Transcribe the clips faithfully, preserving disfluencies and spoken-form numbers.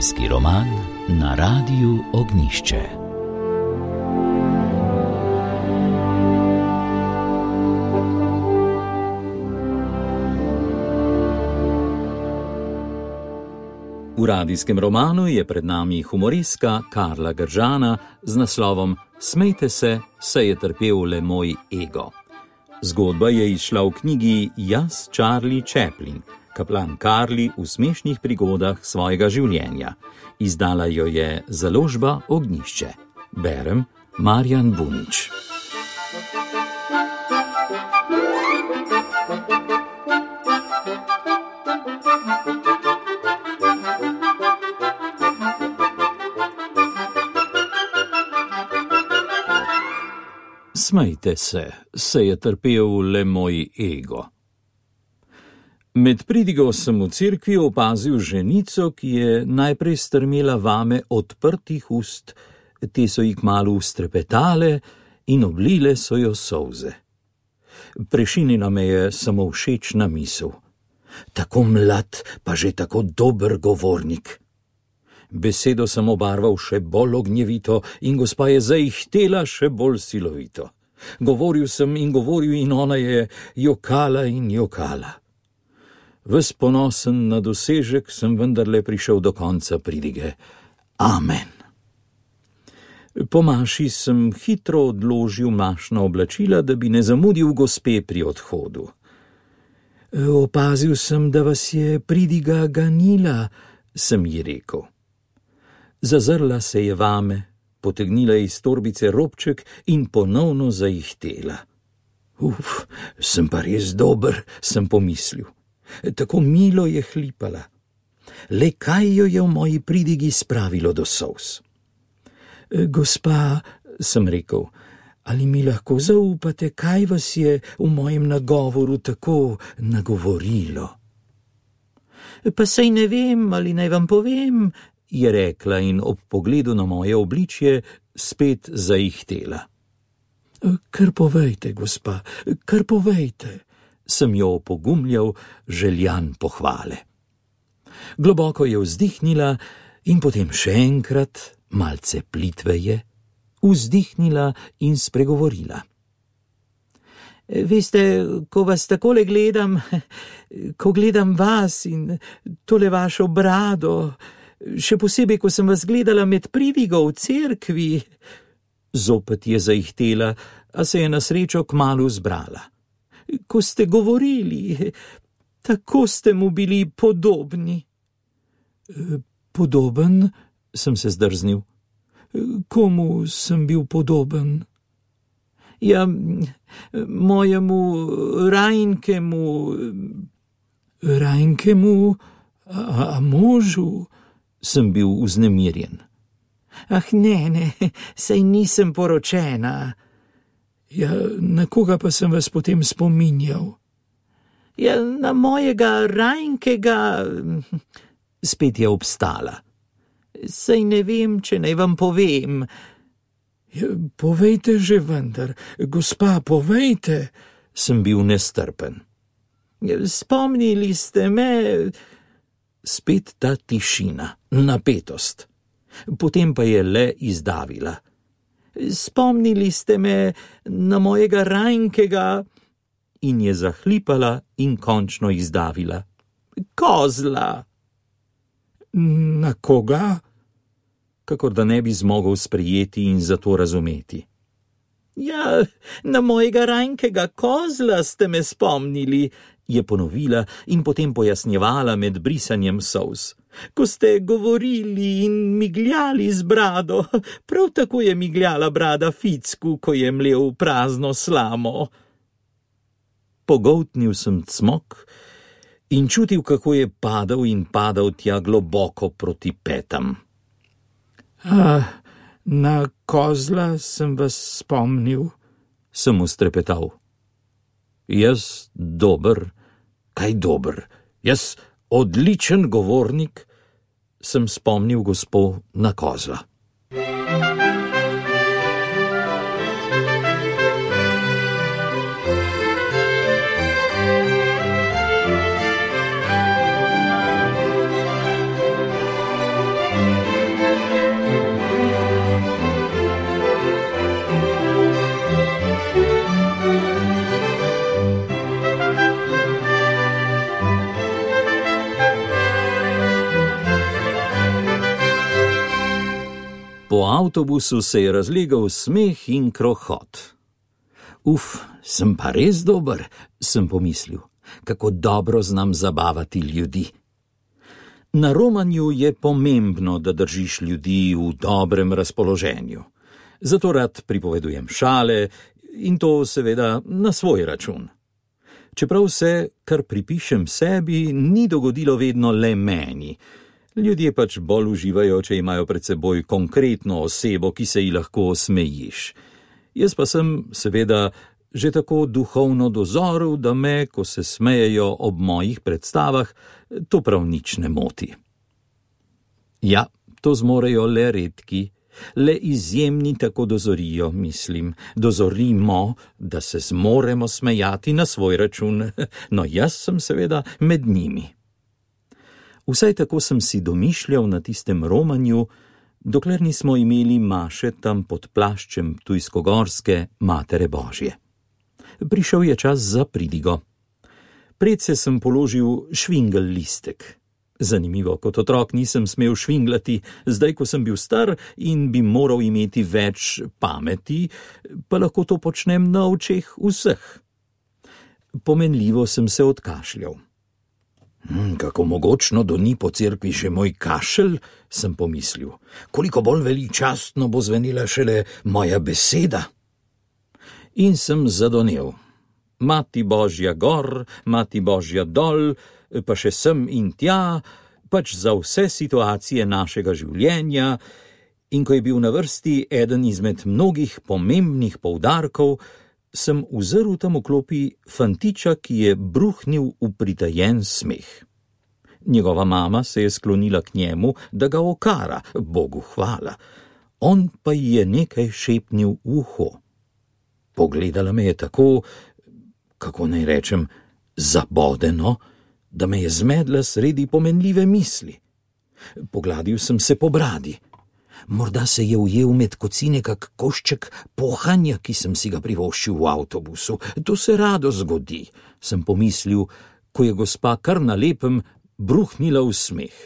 Radijski roman na Radiu Ognjišče. V radijskem romanu je pred nami humoristka Karla Gržana z naslovom Smejte se, saj je trpel le moj ego. Zgodba je izšla v knjigi Jaz, Charlie Chaplin, kaplan Karli v smešnih prigodah svojega življenja. Izdala jo je založba Ognjišče. Berem Marjan Bunič. Smejte se, se je trpel le moj ego. Med pridigo sem v cerkvi opazil ženico, ki je najprej strmela vame odprtih ust, te so ji kmalu strepetale in oblile so jo solze. Prešinila me je samo všečna misel. Tako mlad, pa že tako dober govornik. Besedo sem obarval še bolj ognjevito in gospa je zaihtela še bolj silovito. Govoril sem in govoril in ona je jokala in jokala. Ves ponosen na dosežek sem vendarle prišel do konca pridige. Amen. Po maši sem hitro odložil mašna oblačila, da bi ne zamudil gospe pri odhodu. Opazil sem, da vas je pridiga ganila, sem ji rekel. Zazrla se je vame, potegnila iz torbice robček in ponovno zaihtela. Uf, sem pa res dober, sem pomislil. Tako milo je hlipala. Le kaj jo je v moji pridigi spravilo do solz? Gospa, sem rekel, ali mi lahko zaupate, kaj vas je v mojem nagovoru tako nagovorilo? Pa saj ne vem, ali naj vam povem, je rekla in ob pogledu na moje obličje spet zaihtela. Kar povejte, gospa, kar povejte, sem jo opogumljal, željan pohvale. Globoko je vzdihnila in potem še enkrat, malce plitveje, vzdihnila in spregovorila. Veste, ko vas takole gledam, ko gledam vas in tole vašo brado, še posebej, ko sem vas gledala med pridigo v cerkvi, zopet je zaihtela, a se je na srečo kmalu zbrala. Ko ste govorili, tako ste mu bili podobni. Podoben, sem se zdrznil. Komu sem bil podoben? Ja, mojemu Rajnkemu, Rajnkemu, a, a možu, sem bil vznemirjen. Ah, ne, ne, saj nisem poročena. Ja, na koga pa sem vas potem spominjal? Ja, na mojega Rajnkega, spet je obstala. Saj ne vem, če naj vam povem. Ja, povejte že vendar, gospa, povejte, sem bil nestrpen. Ja, spomnili ste me... Spet ta tišina, napetost. Potem pa je le izdavila. Spomnili ste me na mojega Rajnkega in je zahlipala in končno izdavila. Kozla! Na koga? Kakor da ne bi zmogel sprejeti in zato razumeti. Ja, na mojega Rajnkega kozla ste me spomnili, je ponovila in potem pojasnjevala med brisanjem solz. Ko ste govorili in migljali z brado, prav tako je migljala brada Ficku, ko je mlel prazno slamo. Pogoltnil sem cmok in čutil, kako je padal in padal tja globoko proti petam. Ah, na kozla sem vas spomnil, sem ustrepetal. Jaz dober, kaj dober, jaz odličen govornik, sem spomnil gospo na kozla. Po avtobusu se je razlegal smeh in krohot. Uf, sem pa res dober, sem pomislil, kako dobro znam zabavati ljudi. Na romanju je pomembno, da držiš ljudi v dobrem razpoloženju. Zato rad pripovedujem šale in to seveda na svoj račun. Čeprav se, kar pripišem sebi, ni dogodilo vedno le meni. Ljudje pač bolj uživajo, če imajo pred seboj konkretno osebo, ki se ji lahko smejiš. Jaz pa sem, seveda, že tako duhovno dozoril, da me, ko se smejejo ob mojih predstavah, to prav nič ne moti. Ja, to zmorejo le redki, le izjemni tako dozorijo, mislim, dozorimo, da se zmoremo smejati na svoj račun, no jaz sem seveda med njimi. Vsaj tako sem si domišljal na tistem romanju, dokler nismo imeli maše tam pod plaščem Ptujskogorske Matere Božje. Prišel je čas za pridigo. Predse sem položil švingel listek. Zanimivo, kot otrok nisem smel švinglati, zdaj, ko sem bil star in bi moral imeti več pameti, pa lahko to počnem na očeh vseh. Pomenljivo sem se odkašljal. Hmm, kako mogočno doni po cerkvi še moj kašelj, sem pomislil. Koliko bolj veličastno bo zvenela šele moja beseda. In sem zadonel. Mati Božja gor, Mati Božja dol, pa še sem in tja, pač za vse situacije našega življenja, in ko je bil na vrsti eden izmed mnogih pomembnih poudarkov, sem uzrl tam v klopi fantiča, ki je bruhnil v pritajen smeh. Njegova mama se je sklonila k njemu, da ga okara, Bogu hvala. On pa ji je nekaj šepnil v uho. Pogledala me je tako, kako naj rečem, zabodeno, da me je zmedla sredi pomenljive misli. Pogladil sem se po bradi. Morda se je ujel med kocine kak košček pohanja, ki sem si ga privoščil v avtobusu. To se rado zgodi, sem pomislil, ko je gospa kar na lepem bruhnila v smeh.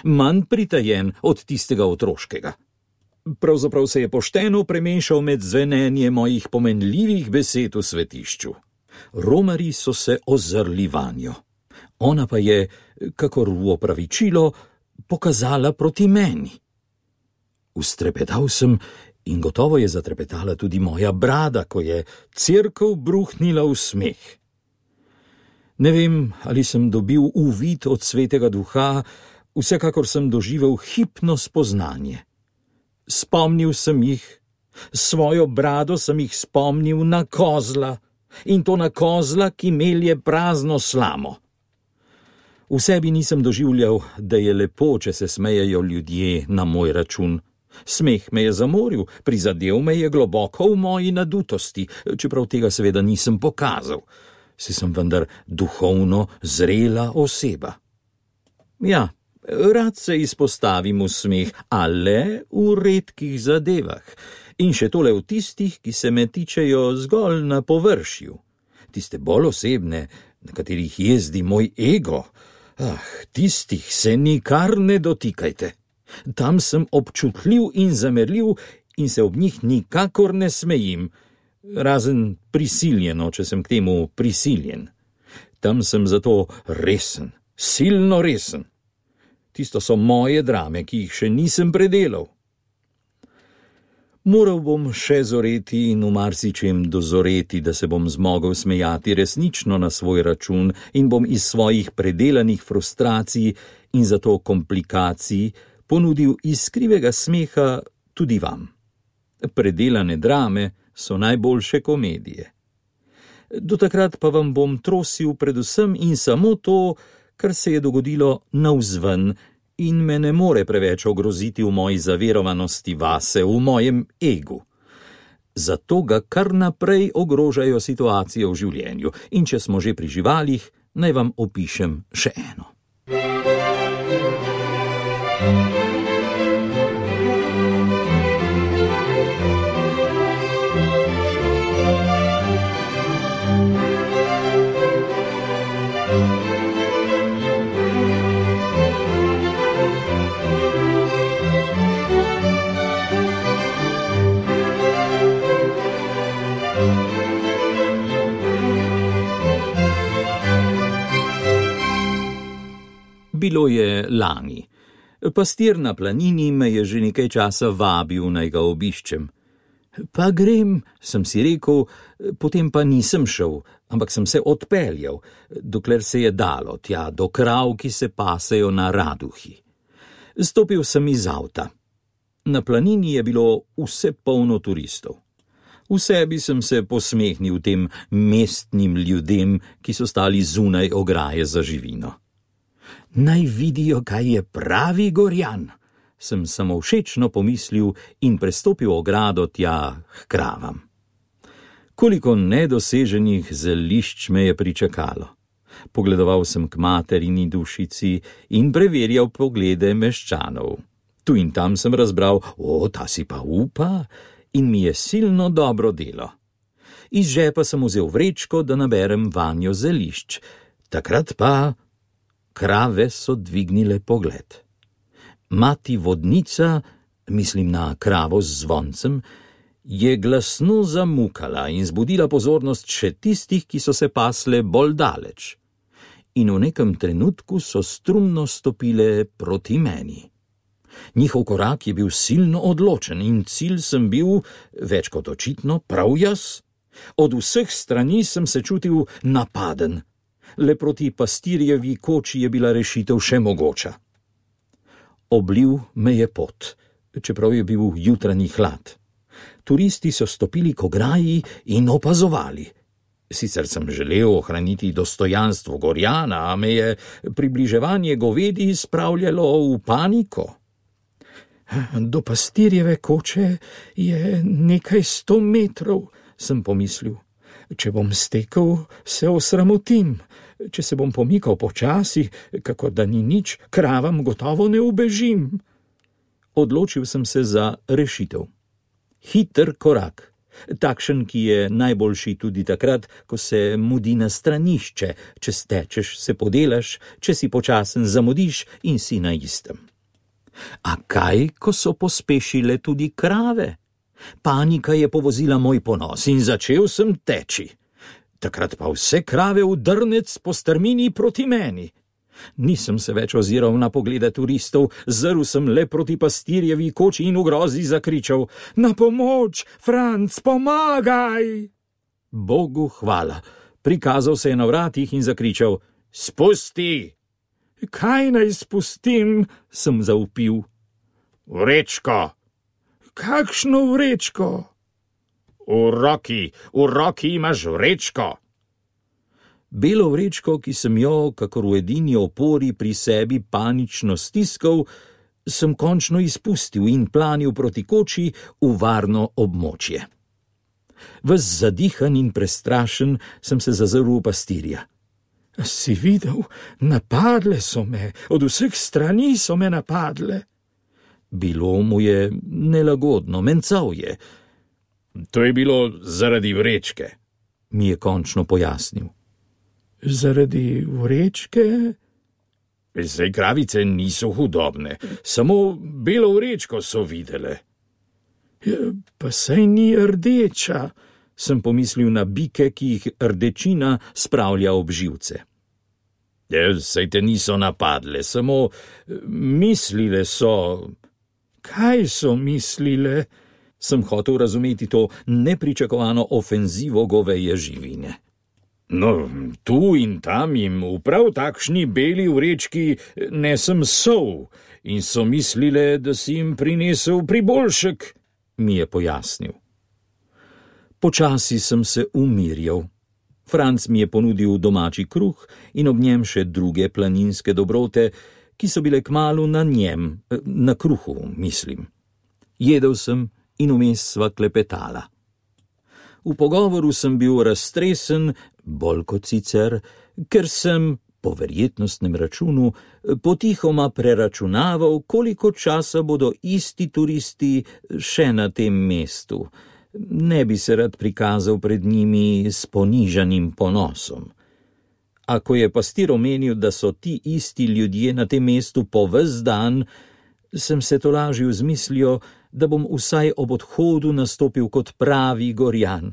Manj pritajen od tistega otroškega. Pravzaprav se je pošteno premešal med zvenenje mojih pomenljivih besed v svetišču. Romarji so se ozrli vanjo. Ona pa je, kakor v opravičilo, pokazala proti meni. Ustrepetal sem in gotovo je zatrepetala tudi moja brada, ko je cerkev bruhnila v smeh. Ne vem, ali sem dobil uvid od svetega duha, vsekakor sem doživel hipno spoznanje. Spomnil sem jih, svojo brado sem jih spomnil na kozla, in to na kozla, ki melje prazno slamo. V sebi nisem doživljal, da je lepo, če se smejejo ljudje na moj račun. Smeh me je zamoril, prizadel me je globoko v moji nadutosti, čeprav tega seveda nisem pokazal. Si sem vendar duhovno zrela oseba. Ja, rad se izpostavim v smeh, a le v redkih zadevah, in še tole v tistih, ki se me tičejo zgolj na površju. Tiste bolj osebne, na katerih jezdi moj ego, ah, tistih se nikar ne dotikajte. Tam sem občutljiv in zamerljiv in se ob njih nikakor ne smejim, razen prisiljeno, če sem k temu prisiljen. Tam sem zato resen, silno resen. Tisto so moje drame, ki jih še nisem predelal. Moral bom še zoreti in v marsičem dozoreti, da se bom zmogel smejati resnično na svoj račun in bom iz svojih predelanih frustracij in zato komplikacij ponudil iskrivega smeha tudi vam. Predelane drame so najboljše komedije. Do takrat pa vam bom trosil predvsem in samo to, kar se je dogodilo navzven in me ne more preveč ogroziti v moji zaverovanosti vase, v mojem egu. Zato ga kar naprej ogrožajo situacije v življenju in če smo že pri živalih, naj vam opišem še eno. Bilo je lani. Pastir na planini me je že nekaj časa vabil, naj ga obiščem. Pa grem, sem si rekel, potem pa nisem šel, ampak sem se odpeljal, dokler se je dalo tja do krav, ki se pasejo na Raduhi. Stopil sem iz avta. Na planini je bilo vse polno turistov. V sebi sem se posmehnil tem mestnim ljudem, ki so stali zunaj ograje za živino. Naj vidijo, kaj je pravi Gorjan, sem samovšečno pomislil in prestopil ogrado tja k kravam. Koliko nedoseženih zelišč me je pričakalo. Pogledoval sem k materini dušici in preverjal poglede meščanov. Tu in tam sem razbral, o, ta si pa upa, in mi je silno dobro delo. Iz žepa sem vzel vrečko, da naberem vanjo zelišč. Takrat pa krave so dvignile pogled. Mati vodnica, mislim na kravo z zvoncem, je glasno zamukala in zbudila pozornost še tistih, ki so se pasle bolj daleč. In v nekem trenutku so strumno stopile proti meni. Njihov korak je bil silno odločen in cilj sem bil, več kot očitno, prav jaz. Od vseh strani sem se čutil napaden. Le proti pastirjevi koči je bila rešitev še mogoča. Oblil me je pot, čeprav je bil jutranji hlad. Turisti so stopili k ograji in opazovali. Sicer sem želel ohraniti dostojanstvo Gorjana, a me je približevanje govedi spravljalo v paniko. Do pastirjeve koče je nekaj sto metrov, sem pomislil. Če bom stekel, se osramotim. Če se bom pomikal počasi, kakor da ni nič, kravam gotovo ne ubežim. Odločil sem se za rešitev. Hiter korak, takšen, ki je najboljši tudi takrat, ko se mudi na stranišče, če stečeš, se podelaš, če si počasen, zamudiš in si na istem. A kaj, ko so pospešile tudi krave? Panika je povozila moj ponos in začel sem teči. Takrat pa vse krave v drnec po strmini proti meni. Nisem se več oziral na poglede turistov, zrl sem le proti pastirjevi koči in v grozi zakričal: Na pomoč, Franc, pomagaj! Bogu hvala, prikazal se je na vratih in zakričal: Spusti! Kaj naj spustim, sem zavpil. Vrečko! Kakšno vrečko? V roki, v roki imaš vrečko. Belo vrečko, ki sem jo, kakor v edini opori pri sebi panično stiskal, sem končno izpustil in planil proti koči v varno območje. Ves zadihan in prestrašen sem se zazrl v pastirja. Si videl, napadle so me, od vseh strani so me napadle. Bilo mu je nelagodno, mencal je. To je bilo zaradi vrečke, mi je končno pojasnil. Zaradi vrečke? Zdaj kravice niso hudobne, samo belo vrečko so videle. Ja, pa saj ni rdeča, sem pomislil na bike, ki jih rdečina spravlja ob živce. Ja, saj te niso napadle, samo mislile so. Kaj so mislile? Sem hotel razumeti to nepričakovano ofenzivo goveje živine. No, tu in tam jim v prav takšni beli vrečki nesem sol in so mislile, da si jim prinesel priboljšek, mi je pojasnil. Počasi sem se umirjal. Franc mi je ponudil domači kruh in ob njem še druge planinske dobrote, ki so bile kmalu na njem, na kruhu, mislim. Jedel sem in vmes sva klepetala. V pogovoru sem bil raztresen, bolj kot sicer, ker sem, po verjetnostnem računu, potihoma preračunaval, koliko časa bodo isti turisti še na tem mestu. Ne bi se rad prikazal pred njimi s ponižanim ponosom. Ako je pastir omenil, da so ti isti ljudje na tem mestu po ves dan, sem se tolažil z mislijo, da bom vsaj ob odhodu nastopil kot pravi Gorjan.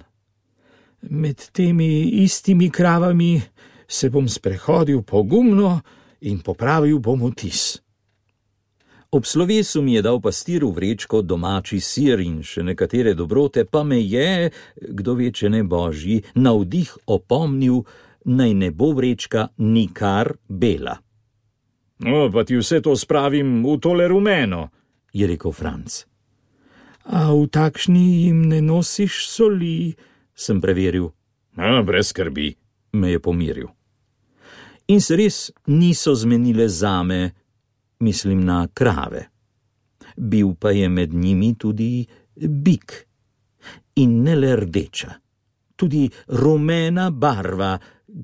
Med temi istimi kravami se bom sprehodil pogumno in popravil bom vtis. Ob slovesu mi je dal pastir v vrečko domači sir in še nekatere dobrote, pa me je, kdo ve, če ne božji, navdih opomnil, naj ne bo vrečka nikar bela. No, pa ti vse to spravim v tole rumeno, je rekel Franc. A v takšni jim ne nosiš soli, sem preveril. A, brez skrbi, me je pomiril. In se res niso zmenile zame, mislim na krave. Bil pa je med njimi tudi bik. In ne le rdeča, tudi rumena barva,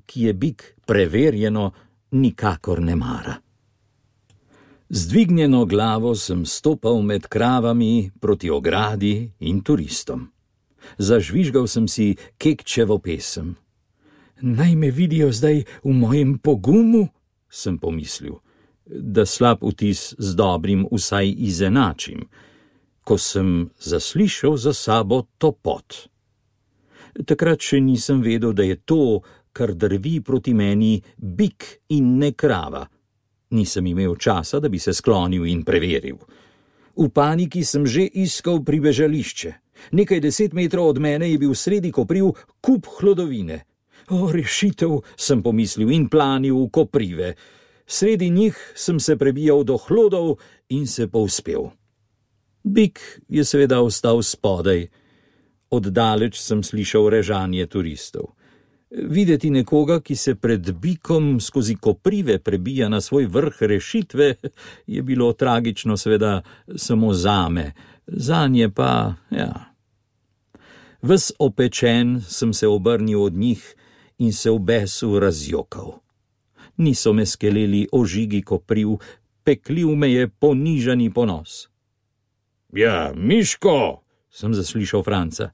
ki je bik preverjeno nikakor ne mara. Z dvignjeno glavo sem stopal med kravami proti ogradi in turistom. Zažvižgal sem si Kekčevo pesem. Naj me vidijo zdaj v mojem pogumu, sem pomislil, da slab vtis z dobrim vsaj izenačim, ko sem zaslišal za sabo topot. Takrat še nisem vedel, da je to, kar drvi proti meni, bik in ne krava. Nisem imel časa, da bi se sklonil in preveril. V paniki sem že iskal pribežališče. Nekaj deset metrov od mene je bil sredi kopriv kup hlodovine. O, rešitev, sem pomislil in planil v koprive. Sredi njih sem se prebijal do hlodov in se povzpel. Bik je seveda ostal spodaj. Oddaleč sem slišal režanje turistov. Videti nekoga, ki se pred bikom skozi koprive prebija na svoj vrh rešitve, je bilo tragično seveda samo zame, zanje pa, ja. Ves opečen sem se obrnil od njih in se v besu razjokal. Niso me skeleli ožigi kopriv, peklil me je ponižani ponos. Ja, Miško, sem zaslišal Franca.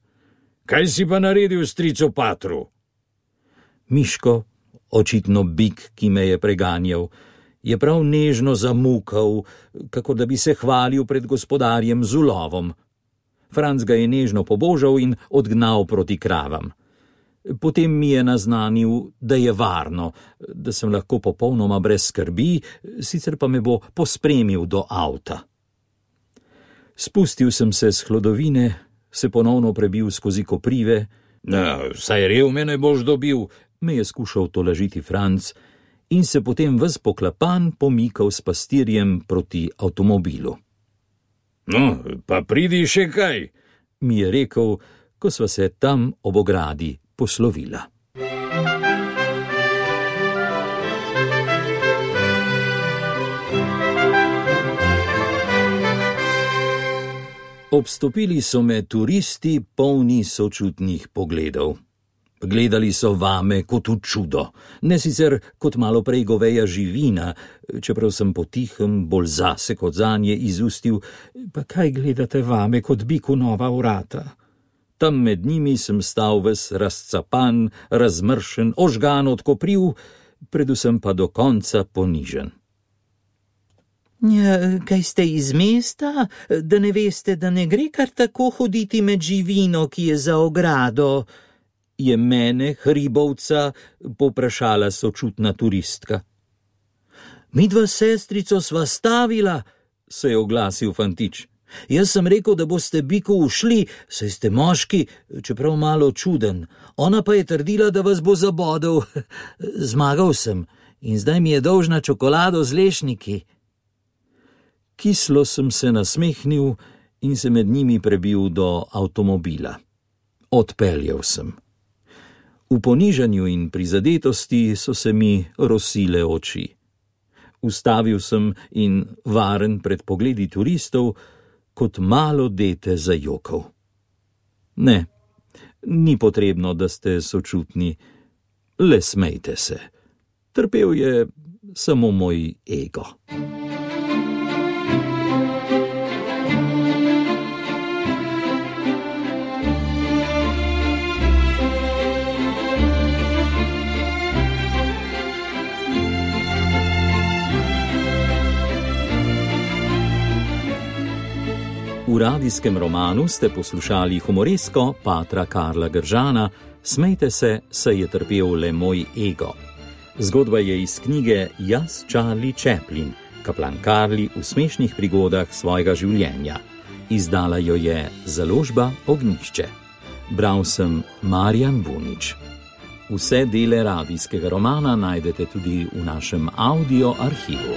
Kaj si pa naredil stricu Patru? Miško, očitno bik, ki me je preganjal, je prav nežno zamukal, kako da bi se hvalil pred gospodarjem z ulovom. Franc ga je nežno pobožal in odgnal proti kravam. Potem mi je naznanil, da je varno, da sem lahko popolnoma brez skrbi, sicer pa me bo pospremil do avta. Spustil sem se s hlodovine, se ponovno prebil skozi koprive. Na, saj rev me ne boš dobil, me je skušal tolažiti Franc in se potem ves poklapan pomikal s pastirjem proti avtomobilu. No, pa pridi še kaj, mi je rekel, ko sva se tam ob ogradi poslovila. Obstopili so me turisti, polni sočutnih pogledov. Gledali so vame kot v čudo, ne sicer kot malo prej goveja živina, čeprav sem potihem, bolj zase kot zanje izustil, pa kaj gledate vame kot biku nova vrata? Tam med njimi sem stal ves razcapan, razmršen, ožgan od kopriv, predvsem pa do konca ponižen. Ja, kaj ste iz mesta, da ne veste, da ne gre kar tako hoditi med živino, ki je za ogrado? Je mene, hribovca, poprašala sočutna turistka. Midva sestrico sva stavila, se je oglasil fantič. Jaz sem rekel, da boste biku ušli, saj ste moški, čeprav malo čuden. Ona pa je trdila, da vas bo zabodel. Zmagal sem in zdaj mi je dolžna čokolado z lešniki. Kislo sem se nasmehnil in se med njimi prebil do avtomobila. Odpeljal sem. V ponižanju in prizadetosti so se mi rosile oči. Ustavil sem in varen pred pogledi turistov, kot malo dete zajokal. Ne, ni potrebno, da ste sočutni, le smejte se. Trpel je samo moj ego. V radijskem romanu ste poslušali humoresko Patra Karla Gržana Smejte se, saj je trpel le moj ego. Zgodba je iz knjige Jaz, Charlie Chaplin, kaplan Karli v smešnih prigodah svojega življenja. Izdala jo je založba Ognjišče. Bral sem Marjan Bunič. Vse dele radijskega romana najdete tudi v našem audio arhivu.